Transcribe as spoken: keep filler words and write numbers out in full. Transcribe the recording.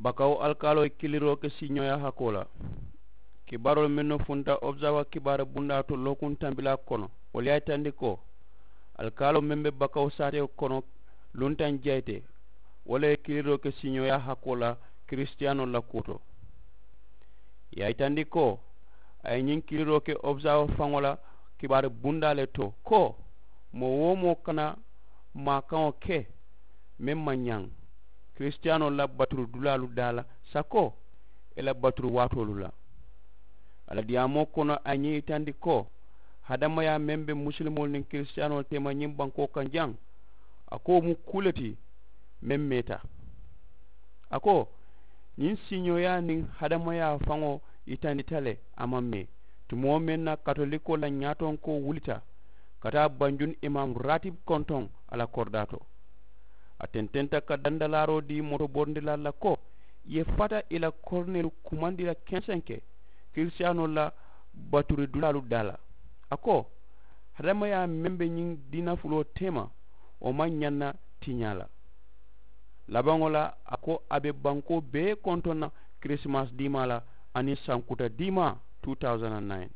Bakawo alikaaloo ye kiliroo ke siiñooyaa hakkoo la. Kibaaroolu mennu funta observer kibaari bundaa to lookuŋ tambilaa kono, wolu ye a yitandi ko alikaaloo meŋ be bakawo saatewo kono luntaŋ jayite, wo le ye kiliroo ke siiñooyaa hakkoo la kirisitiyaanoolu la kuwo to. Ì ye a yitandi ko a ye ñiŋ kiliroo ke observer faŋo la kibaari bundaa le to ko moo-wo-moo kana maakaŋo ke meŋ maŋ ñaŋ kirisitiyaanoolu la baturi dulaalu daa la sako ì la baturi waatoolu la. A la diyaamoo kono a ye ñiŋ yitandi ko hadamayaa meŋ be musulimoolu niŋ kirisitiyaanoolu teema ñiŋ bankoo kaŋ jaŋ, a ko wo mu kuu le ti meŋ meeta. A ko ñiŋ siiñooyaa niŋ hadamayaa faŋo yitandita le a maŋ mee tumoo meŋ na katolikoo la ñaatonkoo wulita ka taa banjun imaamu raatibu kontoŋ a la koridaa to. A tententa ka dandalaaroo dii motoborindilaalu la ko ì ye fata ì la korineelu kumandi la kensenke kirisitiyaanoolu la baturi dulaalu daa la. A ko hadamayaa meŋ be ñiŋ diina fuloo teema wo maŋ ñaŋ na tiñaa la. Labaŋo la a ko a be bankoo bee kontoŋ na kirisimasi diimaa la aniŋ sankuta diimaa two thousand and nine.